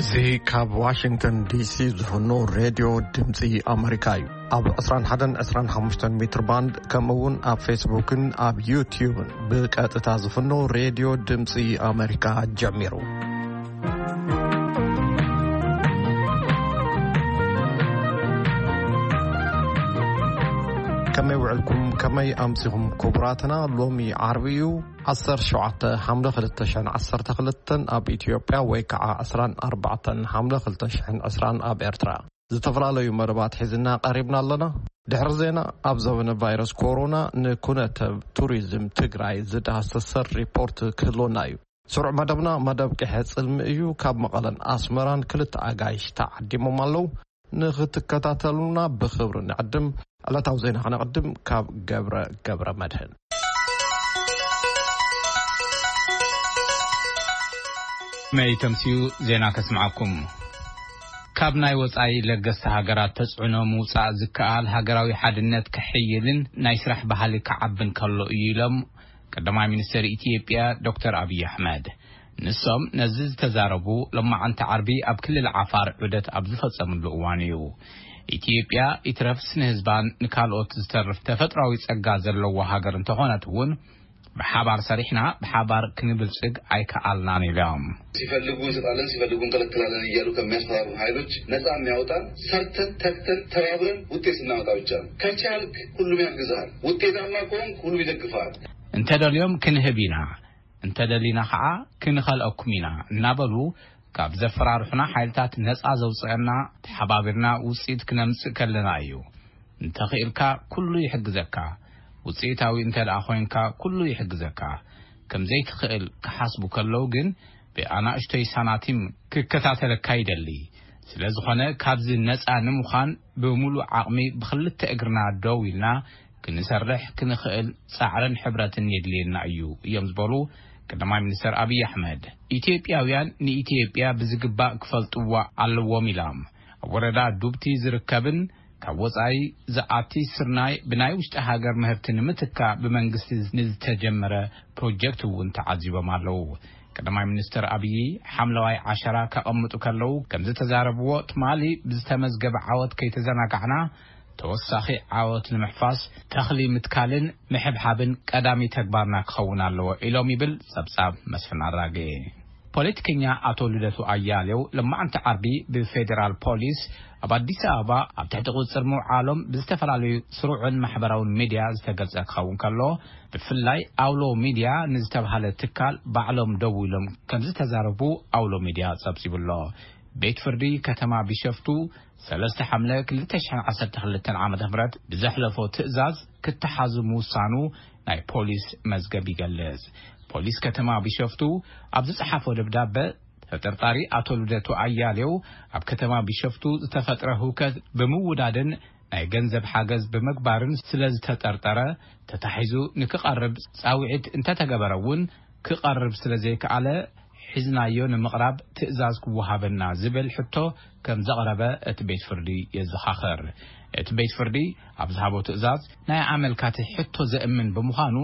እዚ ካብ ዋሽንግተን ዲሲ ዝፍኖ ሬድዮ ድምፂ ኣመሪካ እዩ። ኣብ ዕስራን ሓደን ዕስራን ሓሙሽተን ሜትር ባንድ፣ ከምኡ እውን ኣብ ፌስቡክን ኣብ ዩትዩብን ብቀጥታ ዝፍኖ ሬድዮ ድምፂ ኣመሪካ ጀሚሩ። ከመይ ውዕልኩም? ከመይ ኣምሲኹም ክቡራትና? ሎሚ ዓርቢ እዩ፣ ዓሰርተ ሸውዓተ ሓምለ ክልተ ሽሕን ዓሰርተ ክልተን ኣብ ኢትዮጵያ፣ ወይ ከዓ ዕስራን ኣርባዕተን ሓምለ ክልተ ሽሕን ዕስራን ኣብ ኤርትራ። ዝተፈላለዩ መደባት ሒዝና ቀሪብና ኣለና። ድሕሪ ዜና፣ ኣብ ዘበነ ቫይረስ ኮሮና ንኩነተ ቱሪዝም ትግራይ ዝዳህሰሰ ሪፖርት ክህልወና እዩ። ስሩዕ መደብና መደብ ቅሐ ጽልሚ እዩ። ካብ መቐለን ኣስመራን ክልተ ኣጋይሽ ተዓዲሞም ኣለዉ። ንኽትከታተሉና ብኽብሪ ንዕድም። ዕለታዊ ዜና ከነቕድም ካብ ገብረ፣ ገብረ መድህን። መይ ተምስዩ ዜና ከስምዓኩም። ካብ ናይ ወጻኢ ለገስቲ ሃገራት ተጽዕኖ ምውጻእ ዝከኣል ሃገራዊ ሓድነት ክሕይልን ናይ ስራሕ ባህሊ ክዓብን ከሎ እዩ ኢሎም ቀዳማይ ሚኒስትር ኢትዮጵያ ዶክተር ኣብይ ኣሕመድ። ንሶም ነዚ ዝተዛረቡ ሎማዓንቲ ዓርቢ ኣብ ክልል ዓፋር ዑደት ኣብ ዝፈጸምሉ እዋን እዩ። ኢትዮጵያ ይትረፍስ ንህዝባን ንካልኦት ዝተርፍ ተፈጥሯዊ ጸጋ ዘለዎ ሃገር እንተኾነት እውን ብሓባር ሰሪሕና ብሓባር ክንብልጽግ ኣይከኣልናን ኢሎም። ሲፈልጉ እንሰጣለን፣ ሲፈልጉ እንከለክላለን እያሉ ከሚያስፈራሩ ኃይሎች ነጻ የሚያወጣን ሰርተን ተግተን ተባብረን ውጤት ስናመጣ ብቻ ነው። ከቻልክ ሁሉም ያግዝሃል። ውጤታማ ከሆንክ ሁሉም ይደግፍሃል። እንተደልዮም ክንህብ ኢና፣ እንተደሊና ኸዓ ክንኸልአኩም ኢና እናበሉ ካብ ዘፈራርሑና ሓይልታት ነጻ ዘውፅአና ተሓባቢርና ውፅኢት ክነምፅእ ከለና እዩ። እንተኽኢልካ ኩሉ ይሕግዘካ። ውፅኢታዊ እንተ ደኣ ኮይንካ ኩሉ ይሕግዘካ። ከም ዘይትኽእል ክሓስቡ ከለዉ ግን ብኣናእሽቶይ ሳናቲም ክከታተለካ ይደሊ። ስለ ዝኾነ ካብዚ ነጻ ንምዃን ብምሉእ ዓቕሚ ብኽልተ እግርና ደው ኢልና ክንሰርሕ ክንኽእል ጻዕርን ሕብረትን የድልየና እዩ እዮም ዝበሉ ቀዳማይ ሚኒስትር ኣብይ ኣሕመድ። ኢትዮጵያውያን ንኢትዮጵያ ብዝግባእ ክፈልጥዋ ኣለዎም ኢሎም። ኣብ ወረዳ ዱብቲ ዝርከብን ካብ ወጻኢ ዝኣቲ ስርናይ ብናይ ውሽጢ ሃገር ምህርቲ ንምትካእ ብመንግስቲ ንዝተጀመረ ፕሮጀክት እውን ተዓዚቦም ኣለዉ። ቀዳማይ ሚኒስትር ኣብይ ሓምለዋይ ዓሸራ ከቐምጡ ከለዉ ከምዝተዛረብዎ፣ ትማሊ ብዝተመዝገበ ዓወት ከይተዘናጋዕና ተወሳኺ ዓወት ንምሕፋስ ተኽሊ ምትካልን ምሕብሓብን ቀዳሚ ተግባርና ክኸውን ኣለዎ ኢሎም ይብል ጸብጻብ መስፍን ኣራጌ። ፖለቲከኛ ኣቶ ልደቱ ኣያሌው ለማዕንቲ ዓርቢ ብፌዴራል ፖሊስ ኣብ ኣዲስ ኣበባ ኣብ ትሕቲ ቁጽር ምውዓሎም ብዝተፈላለዩ ስሩዕን ማሕበራውን ሚድያ ዝተገልጸ ክኸውን ከሎ፣ ብፍላይ ኣውሎ ሚድያ ንዝተባሃለ ትካል ባዕሎም ደው ኢሎም ከምዝተዛረቡ ኣውሎ ሚድያ ጸብጺቡ ኣሎ። ቤት ፍርዲ ከተማ ቢሸፍቱ ሰለስተ ሓምለ ክልተ ሽሕን ዓሰርተ ክልተን ዓመተ ምህረት ብዘሕለፎ ትእዛዝ ክተሓዙ ምውሳኑ ናይ ፖሊስ መዝገብ ይገልጽ። ፖሊስ ከተማ ቢሸፍቱ ኣብ ዝጸሓፎ ደብዳበ፣ ተጠርጣሪ ኣቶ ልደቱ ኣያሌው ኣብ ከተማ ቢሸፍቱ ዝተፈጥረ ህውከት ብምውዳድን ናይ ገንዘብ ሓገዝ ብምግባርን ስለ ዝተጠርጠረ፣ ተታሒዙ ንክቐርብ ጻውዒት እንተተገበረ እውን ክቐርብ ስለ ዘይከኣለ፣ ሒዝናዮ ንምቕራብ ትእዛዝ ክወሃበና ዝብል ሕቶ ከም ዘቕረበ እቲ ቤት ፍርዲ የዘኻኽር። እቲ ቤት ፍርዲ ኣብ ዝሃቦ ትእዛዝ፣ ናይ ኣመልካቲ ሕቶ ዘእምን ብምዃኑ፣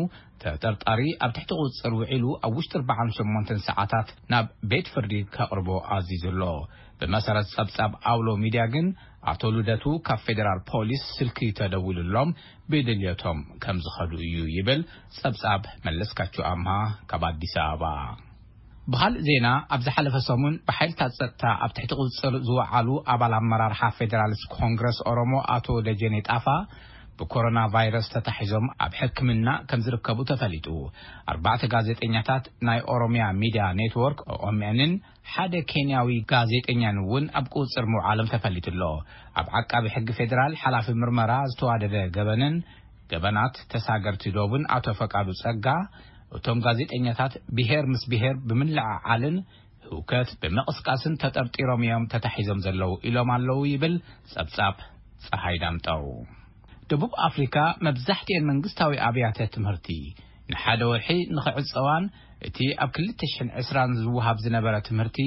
ተጠርጣሪ ኣብ ትሕቲ ቁጽጽር ውዒሉ ኣብ ውሽጢ ኣርባዓን ሸሞንተን ሰዓታት ናብ ቤት ፍርዲ ከቕርቦ ኣዚዙ ኣሎ። ብመሰረት ጸብጻብ ኣውሎ ሚድያ ግን፣ ኣቶ ልደቱ ካብ ፌዴራል ፖሊስ ስልኪ ተደዊሉሎም ብድልየቶም ከም ዝኸዱ እዩ ይብል ጸብጻብ መለስካቸው ኣምሃ ካብ ኣዲስ ኣበባ። ብኻልእ ዜና፣ ኣብ ዝሓለፈ ሰሙን ብሓይልታት ጸጥታ ኣብ ትሕቲ ቁጽጽር ዝወዓሉ ኣባል ኣመራርሓ ፌዴራሊስት ኮንግረስ ኦሮሞ ኣቶ ደጀኔ ጣፋ ብኮሮና ቫይረስ ተታሒዞም ኣብ ሕክምና ከም ዝርከቡ ተፈሊጡ። ኣርባዕተ ጋዜጠኛታት ናይ ኦሮሚያ ሚድያ ኔትወርክ፣ ኦኤምኤንን ሓደ ኬንያዊ ጋዜጠኛን እውን ኣብ ቁጽጽር ምውዓሎም ተፈሊጡ ኣሎ። ኣብ ዓቃቢ ሕጊ ፌዴራል ሓላፊ ምርመራ ዝተዋደደ ገበንን ገበናት ተሳገርቲ ዶብን ኣቶ ፈቃዱ ጸጋ፣ እቶም ጋዜጠኛታት ብሄር ምስ ብሄር ብምልዕዓልን ህውከት ብምቕስቃስን ተጠርጢሮም እዮም ተታሒዞም ዘለዉ ኢሎም ኣለዉ ይብል ጸብጻብ ጸሃይ ዳምጠው። ደቡብ ኣፍሪካ መብዛሕትኤን መንግስታዊ ኣብያተ ትምህርቲ ንሓደ ወርሒ ንኽዕጸዋን እቲ ኣብ ክልተ ሽሕን ዕስራን ዝወሃብ ዝነበረ ትምህርቲ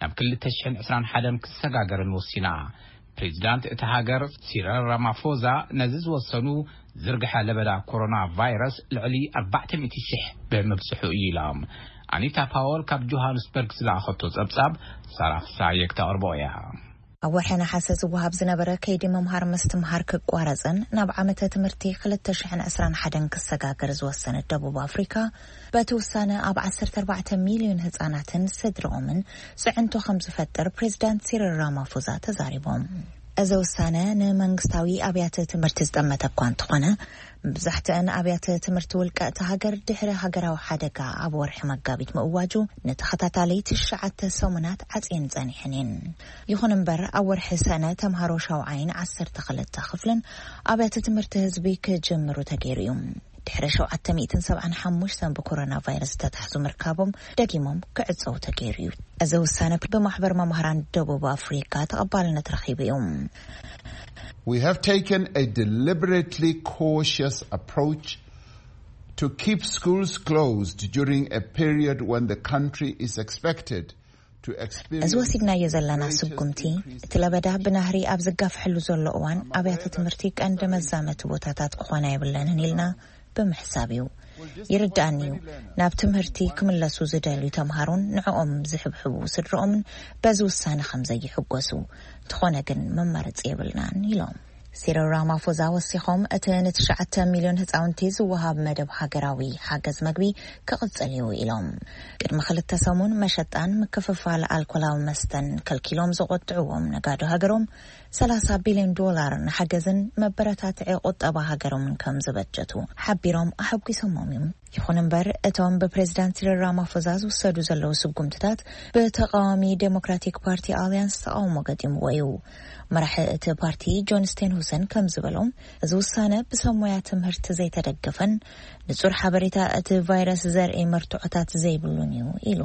ናብ ክልተ ሽሕን ዕስራን ሓደን ክሰጋገርን ወሲና። ፕሬዚዳንት እታ ሃገር ሲረል ራማፎዛ ነዚ ዝወሰኑ፣ ዝርግሐ ለበዳ ኮሮና ቫይረስ ልዕሊ ኣርባዕተ ሚእቲ ሽሕ ብምብጽሑ እዩ ኢሎም። ኣኒታ ፓወል ካብ ጆሃንስበርግ ዝለኣኸቶ ጸብጻብ ሳራ ፍሳየ ክተቕርቦ እያ። ኣብ ወርሒ ነሓሰ ዝወሃብ ዝነበረ ከይዲ ምምሃር ምስትምሃር ክቋረጽን ናብ ዓመተ ትምህርቲ ክልተ ሽሕን ዕስራን ሓደን ክሰጋገር ዝወሰነት ደቡብ ኣፍሪካ፣ በቲ ውሳነ ኣብ ዓሰርተ ኣርባዕተ ሚልዮን ህጻናትን ስድርኦምን ጽዕንቶ ከም ዝፈጥር ፕሬዚዳንት ሲሪል ራማፎዛ ተዛሪቦም። እዚ ውሳነ ንመንግስታዊ ኣብያተ ትምህርቲ ዝጠመተ እኳ እንተኾነ፣ መብዛሕትአን ኣብያተ ትምህርቲ ውልቀ እቲ ሃገር ድሕሪ ሃገራዊ ሓደጋ ኣብ ወርሒ መጋቢት ምእዋጁ ንተኸታታሊ ትሽዓተ ሰሙናት ዓጽየን ጸኒሐን እየን። ይኹን እምበር፣ ኣብ ወርሒ ሰነ ተምሃሮ ሻውዓይን ዓሰርተ ክልተ ክፍልን ኣብያተ ትምህርቲ ህዝቢ ክጅምሩ ተገይሩ እዩ። ድሕሪ ሸውዓተ ሚእትን ሰብዓን ሓሙሽተን ብኮሮና ቫይረስ ዝተታሕዙ ምርካቦም ደጊሞም ክዕጸው ተገይሩ እዩ። እዚ ውሳነ ብማሕበር መምሃራን ደቡብ ኣፍሪካ ተቐባልነት ረኺቡ እዩ። We have taken a deliberately cautious approach to keep schools closed during a period when the country is expected to experience እዚ ወሲድናዮ ዘለና ስጉምቲ፣ እቲ ለበዳ ብናህሪ ኣብ ዝጋፍሐሉ ዘሎ እዋን፣ ኣብያተ ትምህርቲ ቀንዲ መዛመቲ ቦታታት ክኾና የብለንን ኢልና ብምሕሳብ እዩ። ይርዳእኒ እዩ፣ ናብ ትምህርቲ ክምለሱ ዝደልዩ ተምሃሮን ንዕኦም ዝሕብሕቡ ስድርኦምን በዚ ውሳነ ከም ዘይሕጎሱ። እንተኾነ ግን መማረፂ የብልናን ኢሎም። ሲሪል ራማፎዛ ወሲኾም፣ እቲ ንትሽዓተ ሚልዮን ህፃውንቲ ዝወሃብ መደብ ሃገራዊ ሓገዝ መግቢ ክቕፅል እዩ ኢሎም። ቅድሚ ክልተ ሰሙን መሸጣን ምክፍፋል ኣልኮላዊ መስተን ከልኪሎም ዝቆጥዕዎም ነጋዶ ሃገሮም፣ ሰላሳ ቢልዮን ዶላር ንሓገዝን መበረታትዒ ቁጠባ ሃገሮምን ከም ዝበጀቱ ሓቢሮም ኣሐጒሶሞም እዮም። ይኹን እምበር፣ እቶም ብፕሬዚዳንት ሲሪል ራማፎዛ ዝውሰዱ ዘለዉ ስጉምትታት ብተቃዋሚ ዴሞክራቲክ ፓርቲ ኣልያንስ ተቃውሞ ገጢምዎ እዩ። መራሒ እቲ ፓርቲ ጆን ስቴንሁሰን ከም ዝበሎም፣ እዚ ውሳነ ብሰብ ሞያ ትምህርቲ ዘይተደገፈን ንጹር ሓበሬታ እቲ ቫይረስ ዘርኢ መርትዖታት ዘይብሉን እዩ ኢሉ።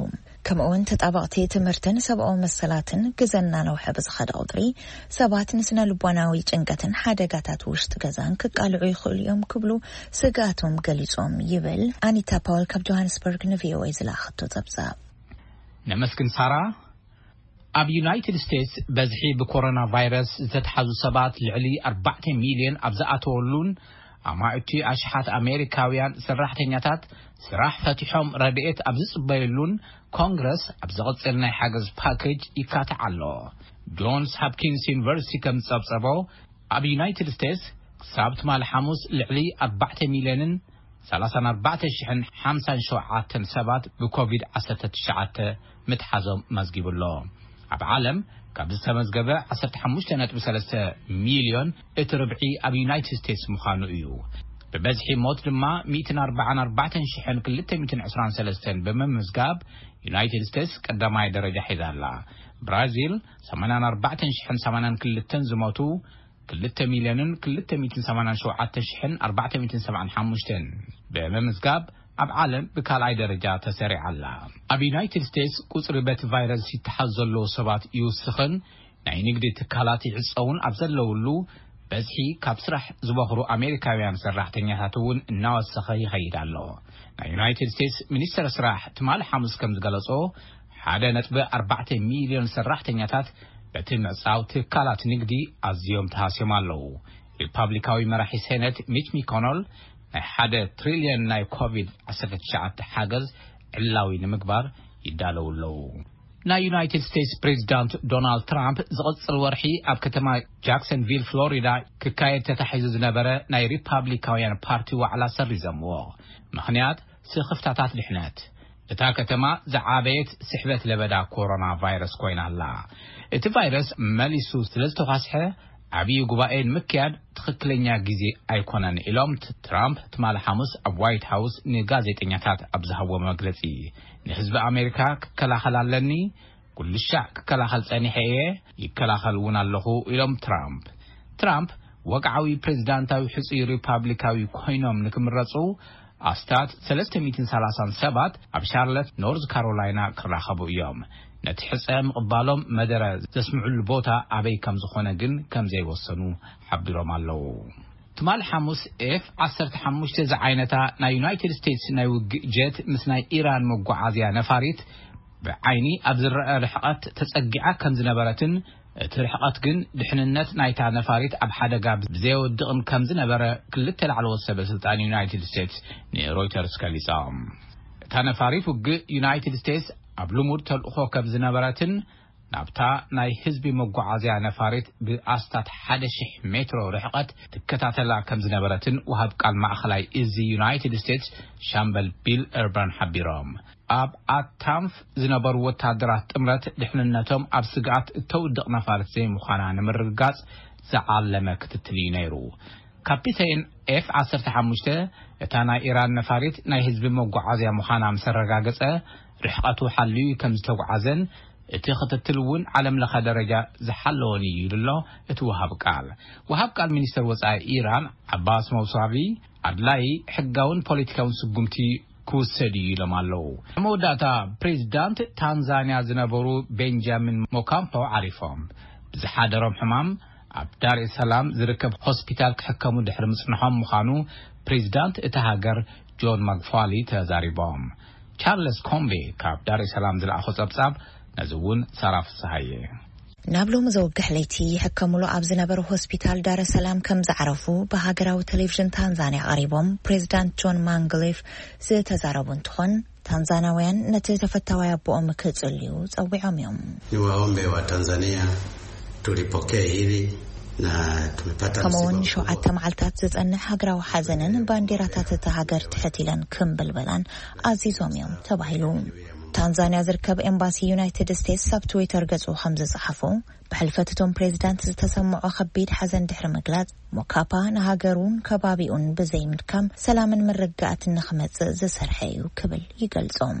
ከምኡ እውን ተጣበቕቲ ትምህርትን ሰብኣዊ መሰላትን ግዘ እናነውሐ ብዝኸደ ቁፅሪ ሰባት ንስነ ልቦናዊ ጭንቀትን ሓደጋታት ውሽጢ ገዛን ክቃልዑ ይኽእሉ እዮም ክብሉ ስግኣቶም ገሊጾም ይብል ኣኒታ ፓወል ካብ ጆሃንስበርግ ንቪኦኤ ዝለኣኸቶ ጸብጻብ። ነመስግን ሳራ። ኣብ ዩናይትድ ስቴትስ በዝሒ ብኮሮና ቫይረስ ዝተትሓዙ ሰባት ልዕሊ ኣርባዕተ ሚልዮን ኣብ ዝኣተወሉን ኣማእቲ ኣሽሓት ኣሜሪካውያን ሰራሕተኛታት ስራሕ ፈቲሖም ረድኤት ኣብ ዝጽበየሉን ኮንግረስ ኣብ ዝቕጽል ናይ ሓገዝ ፓኬጅ ይካትዕ ኣሎ። ጆንስ ሃፕኪንስ ዩኒቨርሲቲ ከም ዝጸብጸቦ፣ ኣብ ዩናይትድ ስቴትስ ክሳብ ትማሊ ሓሙስ ልዕሊ ኣርባዕተ ሚልዮንን ሰላሳን ኣርባዕተ ሽሕን ሓምሳን ሸውዓተን ሰባት ብኮቪድ ዓሰርተ ትሽዓተ ምትሓዞም መዝጊቡ ኣሎ። ኣብ ዓለም ካብ ዝተመዝገበ ዓሰርተ ሓሙሽተ ነጥቢ ሰለስተ ሚልዮን እቲ ርብዒ ኣብ ዩናይትድ ስቴትስ ምዃኑ እዩ። ብበዝሒ ሞት ድማ ሚእትን ኣርባዓን ኣርባዕተን ሽሕን ክልተ ሚእትን ዕስራን ሰለስተን ብምምዝጋብ፣ ዩናይትድ ስቴትስ ቀዳማይ ደረጃ ሒዛ ኣላ። ብራዚል ሰማንያን ኣርባዕተን ሽሕን ሰማንያን ክልተን ዝሞቱ፣ ክልተ ሚልዮንን ክልተ ሚእትን ሰማንያን ሸውዓተ ሽሕን ኣርባዕተ ሚእትን ሰብዓን ሓሙሽተን ብምምዝጋብ ኣብ ዓለም ብካልኣይ ደረጃ ተሰሪዓ ኣላ። ኣብ ዩናይትድ ስቴትስ ቁጽሪ በቲ ቫይረስ ይተሓዝ ዘለዉ ሰባት ይውስኽን ናይ ንግዲ ትካላት ይዕጸውን ኣብ ዘለውሉ፣ በዝሒ ካብ ስራሕ ዝበኽሩ ኣሜሪካውያን ሰራሕተኛታት እውን እናወሰኸ ይኸይድ ኣሎ። ናይ ዩናይትድ ስቴትስ ሚኒስተር ስራሕ ትማሊ ሓሙስ ከም ዝገለጾ፣ ሓደ ነጥቢ ኣርባዕተ ሚልዮን ሰራሕተኛታት በቲ ምዕጻው ትካላት ንግዲ ኣዝዮም ተሃስዮም ኣለዉ። ሪፓብሊካዊ መራሒ ሴኔት ሚች ሚኮኖል ናይ ሓደ ትሪልዮን ናይ ኮቪድ ዓሰርተ ትሽዓተ ሓገዝ ዕላዊ ንምግባር ይዳለዉ ኣለዉ። ናይ ዩናይትድ ስቴትስ ፕሬዚዳንት ዶናልድ ትራምፕ ዝቕጽል ወርሒ ኣብ ከተማ ጃክሰንቪል ፍሎሪዳ ክካየድ ተታሒዙ ዝነበረ ናይ ሪፓብሊካውያን ፓርቲ ዋዕላ ሰሪዘምዎ። ምኽንያት ስኽፍታታት ድሕነት። እታ ከተማ ዝዓበየት ስሕበት ለበዳ ኮሮና ቫይረስ ኮይና ኣላ። እቲ ቫይረስ መሊሱ ስለ ዝተዃስሐ ዓብዪ ጉባኤ ንምክያድ ትኽክለኛ ግዜ ኣይኮነን ኢሎም ት-፣ ትራምፕ ትማሊ ሓሙስ ኣብ ዋይት ሃውስ ንጋዜጠኛታት ኣብ ዝሃብዎ መግለጺ። ንህዝቢ ኣሜሪካ ክከላኸል ኣለኒ፣ ኩሉ ሻዕ ክከላኸል ጸኒሐ እየ፣ ይከላኸል እውን ኣለኹ ኢሎም ትራምፕ። ትራምፕ ወግዓዊ ፕሬዚዳንታዊ ሕጹይ ሪፓብሊካዊ ኮይኖም ንክምረጹ ኣስታት ሰለስተ ሚእትን ሰላሳን ሰባት ኣብ ሻርለት ኖርዝ ካሮላይና ክራኸቡ እዮም። ነቲ ሕጸ ምቕባሎም መደረ ዘስምዕሉ ቦታ ኣበይ ከም ዝኾነ ግን ከም ዘይወሰኑ ሓቢሮም ኣለዉ። ትማሊ ሓሙስ ኤፍ ዓሰርተ ሓሙሽተ ዝዓይነታ ናይ ዩናይትድ ስቴትስ ናይ ውግእ ጀት ምስ ናይ ኢራን መጓዓዝያ ነፋሪት ብዓይኒ ኣብ ዝረአ ርሕቐት ተጸጊዓ ከም ዝነበረትን እቲ ርሕቐት ግን ድሕንነት ናይታ ነፋሪት ኣብ ሓደጋ ብዘየወድቕን ከም ዝነበረ ክልተ ላዕለዎት ሰበ ስልጣን ዩናይትድ ስቴትስ ንሮይተርስ ገሊጾም። እታ ነፋሪት ውግእ ዩናይትድ ስቴትስ ኣብ ልሙድ ተልእኾ ከም ዝነበረትን ናብታ ናይ ህዝቢ መጓዓዝያ ነፋሪት ብኣስታት ሓደ ሽሕ ሜትሮ ርሕቐት ትከታተላ ከም ዝነበረትን ወሃብ ቃል ማእኸላይ እዚ ዩናይትድ ስቴትስ ሻምበል ቢል እርበን ሓቢሮም። ኣብ ኣታንፍ ዝነበሩ ወታደራት ጥምረት ድሕንነቶም ኣብ ስግኣት እተውድቕ ነፋሪት ዘይምዃና ንምርግጋጽ ዝዓለመ ክትትል እዩ ነይሩ። ካፒቴን ኤፍ ዓሰርተ ሓሙሽተ፣ እታ ናይ ኢራን ነፋሪት ናይ ህዝቢ መጓዓዝያ ምዃና ምስ ኣረጋገጸ፣ ርሕቐቱ ሓልዩ ከም ዝተጓዓዘን እቲ ክትትል እውን ዓለም ለኸ ደረጃ ዝሓለወን እዩ ኢሉ ኣሎ እቲ ወሃብ ቃል። ወሃብ ቃል ሚኒስተር ወጻኢ ኢራን ዓባስ መውሳቪ፣ ኣድላይ ሕጋውን ፖለቲካውን ስጉምቲ ክውሰድ እዩ ኢሎም ኣለዉ። ኣብ መወዳእታ፣ ፕሬዚዳንት ታንዛንያ ዝነበሩ ቤንጃሚን ሞካምፖ ዓሪፎም። ብዝሓደሮም ሕማም ኣብ ዳር ሰላም ዝርከብ ሆስፒታል ክሕከሙ ድሕሪ ምጽንሖም ምዃኑ ፕሬዚዳንት እታ ሃገር ጆን ማግፋሊ ተዛሪቦም። ቻርለስ ኮምቤ ካብ ዳር ሰላም ዝለኣኾ ጸብጻብ፣ ነዚ እውን ሳራ ፍስሃየ። ናብ ሎሚ ዘወግሕ ለይቲ ይሕከሙሉ ኣብ ዝነበሩ ሆስፒታል ዳረ ሰላም ከም ዝዓረፉ ብሃገራዊ ቴሌቪዥን ታንዛንያ ቀሪቦም ፕሬዚዳንት ጆን ማንግሊፍ ዝተዛረቡ እንትኾን፣ ታንዛናውያን ነቲ ተፈታዋይ ኣቦኦም ክጽልዩ ጸዊዖም እዮም። Ni waombe wa Tanzania, tulipokee hili na tumepata ከምኡውን msiba ንሸውዓተ mkubwa. መዓልታት ዝጸንሕ ሃገራዊ ሓዘንን ባንዲራታት እታ ሃገር ትሕት ኢለን ክምብልበላን ኣዚዞም እዮም ተባሂሉ። ታንዛንያ ዝርከብ ኤምባሲ ዩናይትድ ስቴትስ ኣብ ትዊተር ገጹ ከም ዝጸሓፎ፣ ብሕልፈት እቶም ፕሬዚዳንት ዝተሰምዖ ከቢድ ሓዘን ድሕሪ ምግላጽ፣ ሞካፓ ንሃገሩን ከባቢኡን ብዘይምድካም ሰላምን ምርግጋእትን ንኽመጽእ ዝሰርሐ እዩ ክብል ይገልጾም።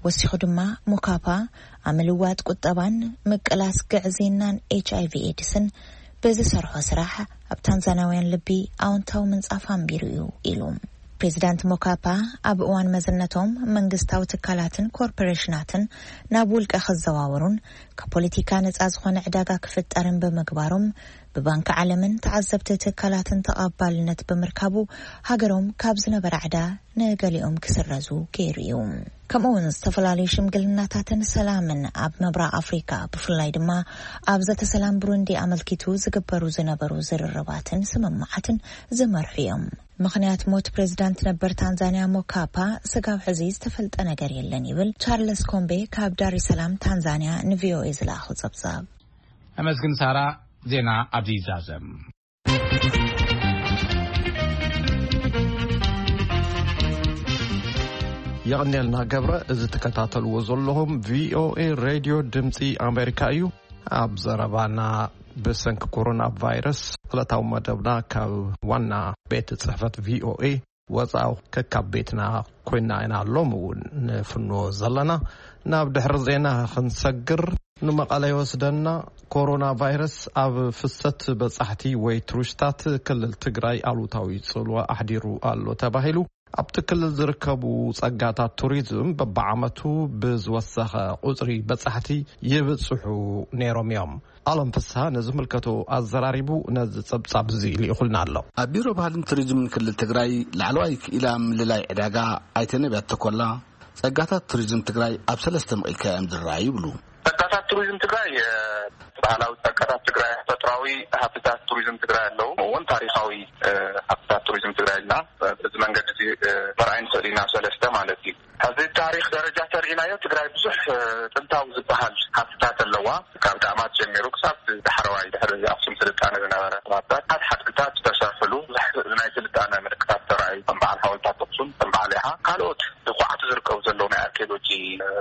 ወሲኹ ድማ፣ ሞካፓ ኣብ ምልዋጥ ቁጠባን ምቅላስ ግዕዝይናን ኤች ኣይ ቪ ኤድስን ብዝሰርሖ ስራሕ ኣብ ታንዛናውያን ልቢ ኣዎንታዊ ምንጻፍ ኣንቢሩ እዩ ኢሉ። ፕሬዚዳንት ሞካፓ ኣብ እዋን መዝነቶም መንግስታዊ ትካላትን ኮርፖሬሽናትን ናብ ውልቀ ክዘዋወሩን ካብ ፖለቲካ ነጻ ዝኾነ ዕዳጋ ክፍጠርን ብምግባሮም ብባንክ ዓለምን ተዓዘብቲ ትካላትን ተቐባልነት ብምርካቡ ሃገሮም ካብ ዝነበራ ዕዳ ንገሊኦም ክስረዙ ገይሩ እዩ። ከምኡ እውን ዝተፈላለዩ ሽምግልናታትን ሰላምን ኣብ ምብራቕ ኣፍሪካ ብፍላይ ድማ ኣብ ዘተ ሰላም ብሩንዲ ኣመልኪቱ ዝግበሩ ዝነበሩ ዝርርባትን ስምምዓትን ዝመርሑ እዮም። ምኽንያት ሞት ፕሬዚዳንት ነበር ታንዛንያ ሞካፓ ስጋብ ሕዚ ዝተፈልጠ ነገር የለን ይብል ቻርለስ ኮምቤ ካብ ዳር ሰላም ታንዛንያ ንቪኦኤ ዝለኣኹ ጸብጻብ። ኣመስግን ሳራ። ዜና ኣብዚ ይዛዘም። የቐንየልና ገብረ። እዚ ትከታተልዎ ዘለኹም ቪኦኤ ሬድዮ ድምፂ ኣሜሪካ እዩ። ኣብ ዘረባና ብሰንኪ ኮሮና ቫይረስ ዕለታዊ መደብና ካብ ዋና ቤት ጽሕፈት ቪኦኤ ወፃኢ ከካብ ቤትና ኮይና ኢና። ሎም እውን ንፍኖ ዘለና ናብ ድሕሪ ዜና ክንሰግር ንመቐለ ይወስደና። ኮሮና ቫይረስ ኣብ ፍሰት በጻሕቲ ወይ ቱሪስታት ክልል ትግራይ ኣሉታዊ ጽልዋ ኣሕዲሩ ኣሎ ተባሂሉ። ኣብቲ ክልል ዝርከቡ ጸጋታት ቱሪዝም በብዓመቱ ብዝወሰኸ ቁጽሪ በጻሕቲ ይብጽሑ ነይሮም እዮም። ኣለም ፍስሃ ነዚ ምልከቶ ኣዘራሪቡ ነዚ ጸብጻብ እዚ ልኢኹልና ኣሎ። ኣብ ቢሮ ባህልን ቱሪዝምን ክልል ትግራይ ላዕለዋይ ክኢላ ምልላይ ዕዳጋ ኣይተ ነቢያት ተኮላ፣ ጸጋታት ቱሪዝም ትግራይ ኣብ ሰለስተ መቒልካ እዮም ዝረኣዩ ይብሉ። ጸጋታት ቱሪዝም ትግራይ፣ እ፣ ባህላዊ ጸጋታት ትግራይ፣ ተፈጥሯዊ ሃብትታት ቱሪዝም ትግራይ ኣለዉ። ከምኡ እውን ታሪኻዊ፣ እ፣ ሃብትታት ቱሪዝም ትግራይ ኢልና፣ እ፣ በዚ መንገዲ እዚ፣ እ፣ ምርኣይ ንኽእል ኢና፣ ሰለስተ ማለት እዩ። ኣብዚ ታሪኽ ደረጃ ተርኢናዮ፣ ትግራይ ብዙሕ፣ እ፣ ጥንታዊ ዝበሃል ሃብትታት ኣለዋ። ካብ ዳማት ጀሚሩ ክሳብ ዳሕረዋይ ድሕሪ ኣኽሱም ስልጣነ ዝነበረ ሃብትታት፣ ሓድግታት ዝተሰርሕሉ፣ ብዙሕ ናይ ስልጣነ ምልክታት ዝተረኣዩ፣ ከም በዓል ሓወልታት ኣኽሱም፣ ከም በዓል ይሓ፣ ካልኦት ብቑዓት ዝርከቡ ዘለዉ ናይ ኣርኪኦሎጂ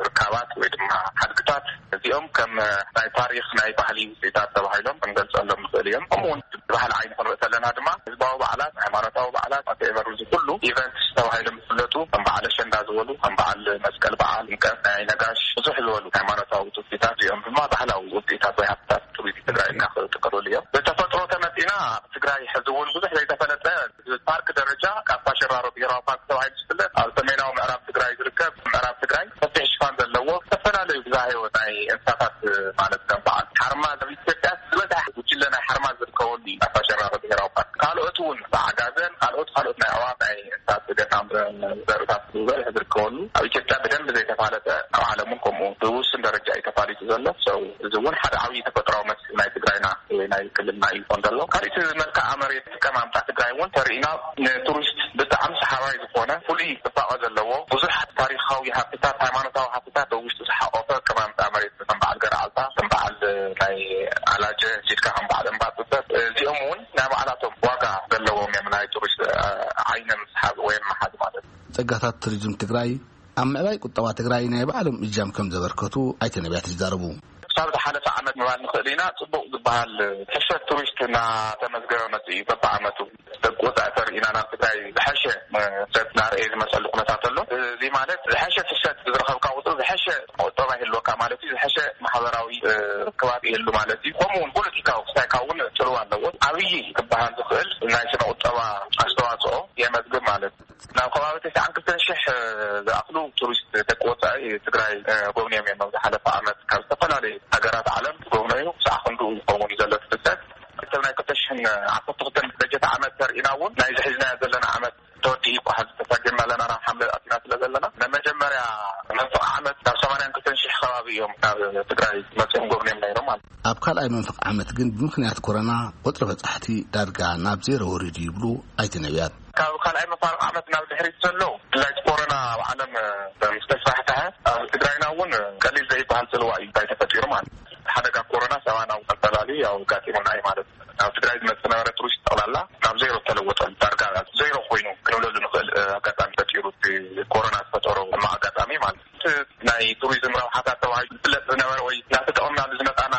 ርካባት ወይ ድማ ሓድግታት፣ እዚኦም ከም ናይ ታሪኽ፣ ናይ ባህሊ ውፅኢታት ተባሂሎም ክንገልፀሎም ንኽእል እዮም። ከምኡ እውን ብባህሊ ዓይኒ ክንርኢ ከለና ድማ፣ ህዝባዊ በዓላት፣ ሃይማኖታዊ በዓላት፣ whatever፣ እዚ ኩሉ ኢቨንትስ ተባሂሎም ዝፍለጡ፣ ከም በዓል ኣሸንዳ ዝበሉ፣ ከም በዓል መስቀል በዓል፣ ጥምቀት፣ ናይ ነጋሽ፣ ብዙሕ ዝበሉ ሃይማኖታዊ ውፅኢታት፣ እዚኦም ድማ ባህላዊ ውፅኢታት ወይ ሃብትታት ቱሪዝም ትግራይ ኢልና ክጥቀለሉ እዮም። ብተፈጥሮ ተመፂና፣ ትግራይ ሕዚ እውን ብዙሕ ዘይተፈለጠ፣ ብፓርክ ደረጃ ካፋ ሽራሮ ብሄራዊ ፓርክ ተባሂሉ ዝፍለጥ፣ ኣብ ሰሜናዊ ምዕራብ ትግራይ ዝርከብ፣ ምዕራብ ትግራይ ሰፊሕ ሽፋን ዘለዎ፣ ዝተፈላለዩ ብዝሃ ህይወት ናይ እንስሳታት፣ ማለት ከም በዓል ሓርማዝ፣ ኣብ ኢትዮጵያ ዝበዝሐ ጉጅለ ናይ ሓርማዝ ዝርከበሉ እዩ ካፋ ሽራሮ ብሄራዊ ፓርክ። ካልኦት እውን ብዓጋዘን፣ ካልኦት ካልኦት ናይ ኣዕዋፍ፣ ናይ እንስሳት ዘገዳም ዘርእታት ዝበዝሕ ዝርከበሉ፣ ኣብ ኢትዮጵያ ብደንብ ዘይተፋለጠ፣ ኣብ ዓለም እውን ከምኡ ብውሱን ደረጃ እዩ ተፋሊጡ ዘሎ። So፣ እዚ እውን ሓደ ዓብዪ ተፈጥሯዊ መስሕብ ናይ ትግራይና ወይ ናይ ክልልና እዩ ዝኾን ዘሎ። ካልእ እቲ መልክዓ መሬት ኣቀማምጣ ትግራይ እውን ተርእዩና፣ ንቱሪስት ብጣዕሚ ሰሓባይ ዝኾነ፣ ፍሉይ ፅባቐ ዘለዎ፣ ብዙሕ ታሪኻዊ ሃፍትታት፣ ሃይማኖታዊ ሃፍትታት ኣብ ውሽጡ ዝሓቆፈ ኣቀማምጣ መሬት፣ ከም በዓል ገረዓልታ፣ ከም በዓል ናይ ኣላጀ፣ ሂድካ ከም በዓል እምባ ፅበት፣ እዚኦም እውን ናይ ባዕላቶም ዋጋ ዘለዎም እዮም፣ ናይ ቱሪስት ዓይኒ ምስሓብ ወይ ምሓዝ ማለት እዩ። ጸጋታት ቱሪዝም ትግራይ ኣብ ምዕባይ ቁጠባ ትግራይ ናይ ባዕሎም እጃም ከም ዘበርከቱ ኣይተ ነቢያት ይዛረቡ። ክሳብ ዝሓለፈ ዓመት ምባል ንኽእል ኢና፣ ጽቡቕ ዝበሃል ፍሰት ቱሪስት እናተመዝገበ መጽኡ እዩ። በብዓመቱ ደቂ ወጻኢ ተርኢና ናብ ትግራይ ዝሐሸ ፍሰት እናርኣየ ዝመጸሉ ኩነታት ኣሎ። እዚ ማለት ዝሐሸ ፍሰት ብዝረኸብካ ቁጽሪ ዝሐሸ ቁጠባ ይህልወካ ማለት እዩ። ዝሐሸ ማሕበራዊ ርክባት ይህሉ ማለት እዩ። ከምኡ እውን ፖለቲካዊ ክስታይካ እውን ጽልዋ ኣለዎ። ዓብዪ ክበሃል ዝኽእል ናይ ስነ ቁጠባ ኣስተዋፅኦ የመዝግብ ማለት እዩ። ናብ ከባቢ ተስዓን ክልተን ሽሕ ዝኣኽሉ ቱሪስት ደቂ ወፃኢ ትግራይ ጎብንዮም እዮም። ኣብ ዝሓለፈ ዓመት ካብ ዝተፈላለዩ ሃገራት ዓለም ዝጎብነዩ ክሳዕ ክንድኡ ዝኸውን እዩ ዘሎ እቲ ፍሰት። እቲ ናይ ክልተ ሽሕን ዓሰርተ ክልተን በጀት ዓመት ተርኢና እውን ናይዚ ሒዝናዮ ዘለና ዓመት ተወዲኡ ይበሃል። ተሳጊርና ኣለና፣ ናብ ሓምለ ኣቲና ስለ ዘለና ናይ መጀመርያ መንፈቕ ዓመት ናብ ሰማንያን ክልተን ሽሕ ከባቢ እዮም ናብ ትግራይ መፅኦም ጎብንዮም ነይሮም ማለት እዩ። ኣብ ካልኣይ መንፈቕ ዓመት ግን ብምኽንያት ኮሮና ቁፅሪ በፃሕቲ ዳርጋ ናብ ዜሮ ወሪዱ ይብሉ ኣይተ ነቢያት። ካብ ካልኣይ መፋርቕ ዓመት ናብ ድሕሪት ዘሎ ብፍላይ ኮሮና ኣብ ዓለም ምስ ተስፋሕፈሐ ኣብ ትግራይና እውን ቀሊል ዘይበሃል ፅልዋ እዩ እንታይ ተፈጢሩ ማለት እዩ። ሓደጋ ኮሮና ሰባናዊ ኣፈላልዩ ያው ኣጋጢሙና እዩ ማለት እዩ። ናብ ትግራይ ዝመፅእ ዝነበረ ቱሪስት ጠቕላላ ናብ ዜሮ ተለወጠ። ዳርጋ ዜሮ ኮይኑ ክንብለሉ ንኽእል ኣጋጣሚ ፈጢሩ እቲ ኮሮና ዝፈጠሮ ሕማቕ ኣጋጣሚ ማለት እዩ። ናይ ቱሪዝም ረብሓታት ተባሂሉ ዝፍለጥ ዝነበረ ወይ እናተጠቐምናሉ ዝመፃና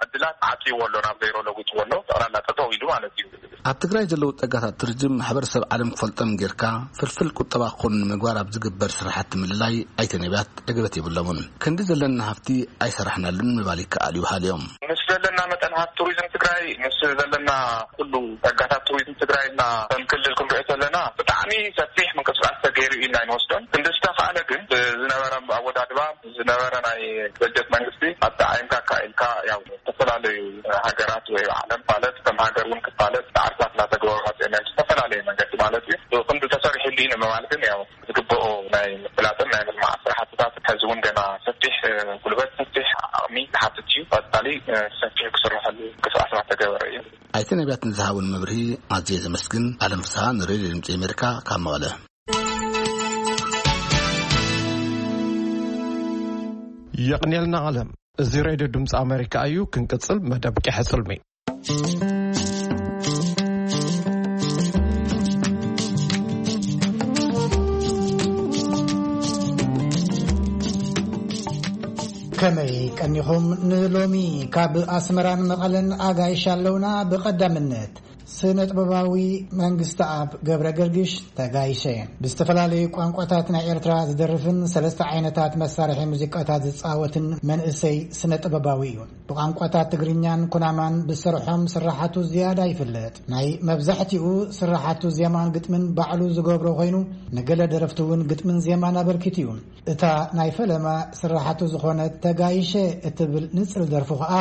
ዕድላት ዓፅይዎ ኣሎ፣ ናብ ዜሮ ለዊጥዎ ኣሎ። ጠቕላላ ጠጠው ኢሉ ማለት እዩ። ኣብ ትግራይ ዘለዉ ጸጋታት ቱሪዝም ማሕበረሰብ ዓለም ክፈልጦም ጌርካ ፍልፍል ቁጠባ ክኾኑ ንምግባር ኣብ ዝግበር ስራሓት ምልላይ ኣይተ ነቢያት ዕግበት የብሎምን። ክንዲ ዘለና ሃፍቲ ኣይሰራሕናሉን ምባል ይከኣል እዩ በሃሊ እዮም። ምስ ዘለና መጠን ሃፍቲ ቱሪዝም ትግራይ፣ ምስ ዘለና ኩሉ ጸጋታት ቱሪዝም ትግራይ እና ከም ክልል ክንሪኦ ዘለና ብጣዕሚ ሰፊሕ ምንቅስቃስ ተገይሩ እዩ ኢና ንወስዶን። ክንዲ ዝተኻእለ ግን ብዝነበረ ኣወዳድባ፣ ዝነበረ ናይ በጀት መንግስቲ ኣጠዓይምካ ኣካኢልካ፣ ያው ዝተፈላለዩ ሃገራት ወይ ዓለም ማለት ከም ሃገር እውን ክፋለጥ ፃዕርታት እናተገበሩ መፅኦም እዮም ብዝተፈላለየ መንገዲ ማለት እዩ። ብክንዱ ተሰሪሕሉ እዩ ንምባል ግን ያው ዝግበኦ ናይ ምፍላጥን ናይ ምልማዕ ስራሕትታት ሕዚ እውን ገና ሰፊሕ ጉልበት፣ ሰፊሕ ዓቕሚ ዝሓትት እዩ። ቀፃሊ ሰፊሕ ክስርሐሉ ምንቅስቃስ እናተገበረ እዩ። ኣይተ ነቢያት ንዝሃቡን መብርሂ ኣዝየ ዘመስግን። ኣለም ፍስሃ ንሬድዮ ድምፂ ኣሜሪካ ካብ መቐለ። የቕንየልና ኣለም። እዚ ሬድዮ ድምፂ ኣሜሪካ እዩ። ክንቅፅል መደብ ቂሐ ፅልሚ። ከመይ ቀኒኹም? ንሎሚ ካብ ኣስመራን መቐለን ኣጋይሽ ኣለውና። ብቐዳምነት ስነ ጥበባዊ መንግስተኣብ ገብረ ገርግሽ ተጋይሸ። ብዝተፈላለዩ ቋንቋታት ናይ ኤርትራ ዝደርፍን ሰለስተ ዓይነታት መሳርሒ ሙዚቃታት ዝጻወትን መንእሰይ ስነ ጥበባዊ እዩ። ብቋንቋታት ትግርኛን ኩናማን ብዝሰርሖም ስራሓቱ ዝያዳ ይፍለጥ። ናይ መብዛሕትኡ ስራሓቱ ዜማን ግጥምን ባዕሉ ዝገብሮ ኮይኑ፣ ንገለ ደረፍቲ እውን ግጥምን ዜማን ኣበርኪቱ እዩ። እታ ናይ ፈለማ ስራሓቱ ዝኾነት ተጋይሸ እትብል ንጽል ደርፉ ኸኣ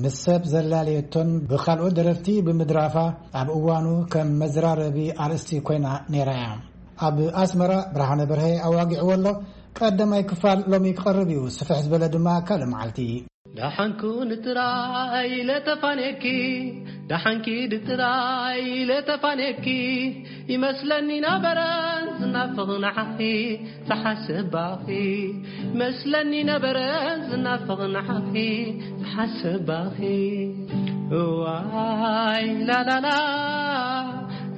ምስ ሰብ ዘላለየቶን ብኻልኦት ደረፍቲ ብምድራፋ ኣብ እዋኑ ከም መዘራረቢ ኣርእስቲ ኮይና ነይራ እያ። ኣብ ኣስመራ ብርሃነ በርሀ ኣዋጊዕዎ ኣሎ። ቀዳማይ ክፋል ሎሚ ክቐርብ እዩ። ስፍሕ ዝበለ ድማ ካልእ መዓልቲ። ደሓንኩ ንጥራይ ኢለ ተፋንየኪ፣ ደሓንኪ ድጥራይ ኢለ ተፋንየኪ፣ ይመስለኒ ነበረ ዝናፍቕ ንዓኺ ዝሓስብ ባኺ፣ ይመስለኒ ነበረ ዝናፍቕ ንዓኺ ዝሓስብ ባኺ። እዋይ ላላላ፣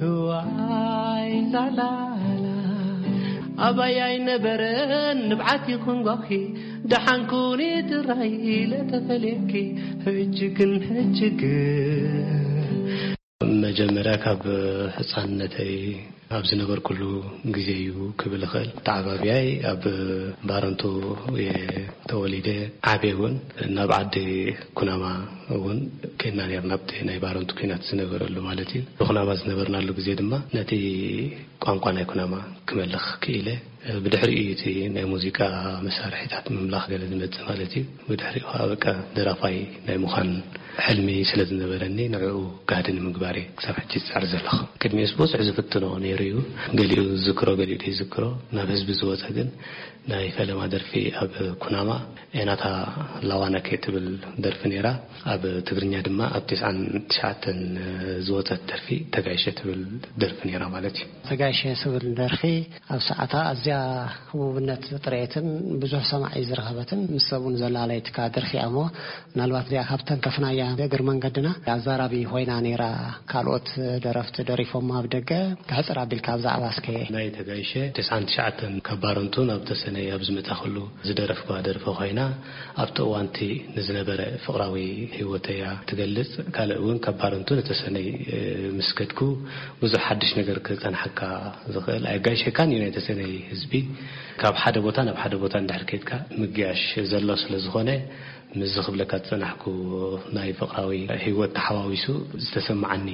እዋይ ላላላ፣ ኣባይ ኣይነበረን ንብዓት ይኹን ጓኺ፣ ደሓንኩኒ ጥራይ ኢለ ተፈልየኪ፣ ሕጂ ግን፣ ሕጂ ግን። መጀመርያ ካብ ህፃንነተይ ኣብ ዝነበርኩሉ ግዜ እዩ ክብል እኽእል። ተዓባብያይ ኣብ ባረንቱ እየ ተወሊደ ዓብየ እውን። ናብ ዓዲ ኩናማ እውን ኬድና ነርና፣ ኣብቲ ናይ ባረንቱ ኲናት ዝነበረሉ ማለት እዩ። ብኩናማ ዝነበርናሉ ግዜ ድማ ነቲ ቋንቋ ናይ ኩናማ ክመልኽ ክኢለ። ብድሕሪኡ እዩ እቲ ናይ ሙዚቃ መሳርሒታት ምምላኽ ገለ ዝመጽእ ማለት እዩ። ብድሕሪኡ ከዓ በቃ ደራፋይ ናይ ምዃን ሕልሚ ስለ ዝነበረኒ ንዕኡ ጋህዲ ንምግባር እየ ክሳብ ሕጂ ዝጽዕር ዘለኹ። ቅድሚኡስ ብዙሕ ዝፍትኖ ነይሩ እዩ። ገሊኡ ዝዝክሮ፣ ገሊኡ ዘይዝክሮ። ናብ ህዝቢ ዝወፀ ግን ናይ ፈለማ ደርፊ ኣብ ኩናማ ኤናታ ላዋነኬ ትብል ደርፊ ነይራ። ኣብ ትግርኛ ድማ ኣብ ተስዓን ትሽዓተን ዝወፀት ደርፊ ተጋይሸ ትብል ደርፊ ነይራ ማለት እዩ። ተጋይሸ ትብል ደርፊ ኣብ ሰዓታ ኣዝያ ህቡብነት ጥሬትን ብዙሕ ሰማዒ ዝረኸበትን ምስ ሰብኡን ዘላለየትካ ደርፊ እያ እሞ፣ ምናልባት እዚኣ ካብተን ከፍናያ እግር መንገድና ኣዛራቢ ኮይና ነይራ። ካልኦት ደረፍቲ ደሪፎም ኣብ ደገ ክሕፅር ኣቢልካ ብዛዕባ እስከ። ናይ ተጋይሸ ተስዓን ትሽዓተን ካብ ባረንቱ ናብ ተሰነይ ኣብ ዝመጻኹሉ ዝደረፍኳ ደርፊ ኮይና፣ ኣብቲ እዋንቲ ንዝነበረ ፍቕራዊ ህይወተያ ትገልጽ። ካልእ እውን ካብ ባረንቱ ንተሰነይ ምስ ከድኩ ብዙሕ ሓድሽ ነገር ክጸንሓካ ዝኽእል ኣየጋይሸካን እዩ። ናይ ተሰነይ ህዝቢ ካብ ሓደ ቦታ ናብ ሓደ ቦታ እንድሕር ከድካ ምግያሽ ዘሎ ስለ ዝኾነ፣ ምስዚ ክብለካ ዝጸናሕኩ ናይ ፍቕራዊ ህይወት ተሓዋዊሱ ዝተሰማዓኒ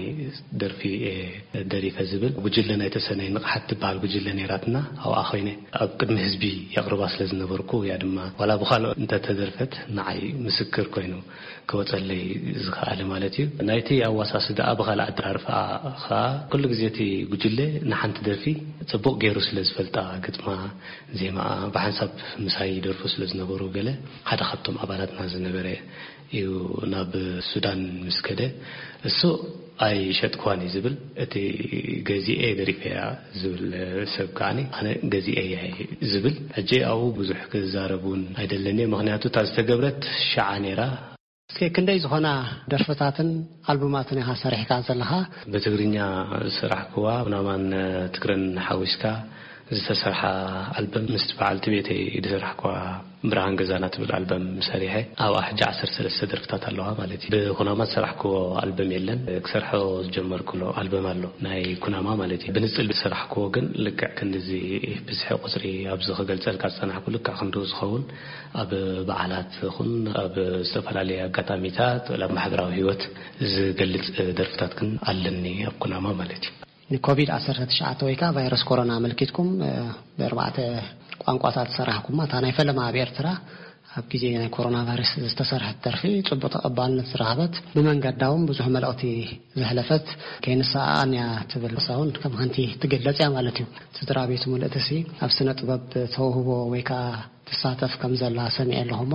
ደርፊ እየ ደሪፈ ዝብል። ጉጅለ ናይ ተሰነይ ንቕሓት ትበሃል ጉጅለ ነይራትና። ኣብኣ ኮይነ ኣብ ቅድሚ ህዝቢ የቕርባ ስለ ዝነበርኩ፣ እያ ድማ ዋላ ብኻልኦ እንተተደርፈት ንዓይ ምስክር ኮይኑ ክወጸለይ ዝኸኣለ ማለት እዩ። ናይቲ ኣዋሳስዳኣ ብኻልእ ኣደራርፋ ኸኣ ኩሉ ግዜ እቲ ጉጅለ ንሓንቲ ደርፊ ጽቡቕ ገይሩ ስለ ዝፈልጣ፣ ግጥማ፣ ዜማኣ ብሓንሳብ ምሳይ ይደርፉ ስለ ዝነበሩ፣ ገለ ሓደ ካብቶም ኣባላትና ዝነበረ እዩ ናብ ሱዳን ምስ ከደ፣ እሱ ኣይሸጥኳን እዩ ዝብል፣ እቲ ገዚኤ ደሪፈያ ዝብል ሰብ ከዓኒ ኣነ ገዚኤ እየ ዝብል። ሕጂ ኣብኡ ብዙሕ ክዛረብ እውን ኣይደለንየ፣ ምኽንያቱ እታ ዝተገብረት ሸዓ ነይራ። እስከ ክንደይ ዝኾና ደርፍታትን ኣልቡማትን ኢኻ ሰሪሕካ ዘለኻ? ብትግርኛ ዝሰራሕክዋ ኩናማን ትግረን ሓዊስካ ዝተሰርሓ ኣልበም፣ ምስ በዓልቲ ቤተይ ዝሰራሕክዋ ብርሃን ገዛና ትብል ኣልበም ሰሪሐ። ኣብኣ ሕጂ ዓሰርተ ሰለስተ ደርፍታት ኣለዋ ማለት እዩ። ብኩናማ ዝሰራሕክዎ ኣልበም የለን። ክሰርሖ ዝጀመርኩሎ ኣልበም ኣሎ፣ ናይ ኩናማ ማለት እዩ። ብንጽል ዝሰራሕክዎ ግን ልክዕ ክንድዚ ብዝሒ ቁጽሪ ኣብዚ ክገልጸልካ ዝጸናሕኩ ልክዕ ክንድኡ ዝኸውን ኣብ በዓላት ይኹን ኣብ ዝተፈላለየ ኣጋጣሚታት፣ ኣብ ማሕበራዊ ህይወት ዝገልጽ ደርፍታት ግን ኣለኒ ኣብ ኩናማ ማለት እዩ። ንኮቪድ ዓሰርተ ትሽዓተ ወይ ከዓ ቫይረስ ኮሮና ኣመልኪትኩም፣ እ፣ ብኣርባዕተ ቋንቋታት ዝሰራሕኩማ፣ እታ ናይ ፈለማ ኣብ ኤርትራ ኣብ ግዜ ናይ ኮሮና ቫይረስ ዝተሰርሐት ደርፊ ጽቡቕ ተቐባልነት ዝረኸበት፣ ብመንገዳ እውን ብዙሕ መልእኽቲ ዘሕለፈት ከይንሰኣኣን እያ ትብል። ንሳ እውን ከም ሓንቲ ትግለጽ እያ ማለት እዩ። ስድራ ቤት ምልእትሲ ኣብ ስነ ጥበብ ተውህቦ ወይ ከዓ ትሳተፍ ከም ዘላ ሰሚዐ ኣለኹ እሞ፣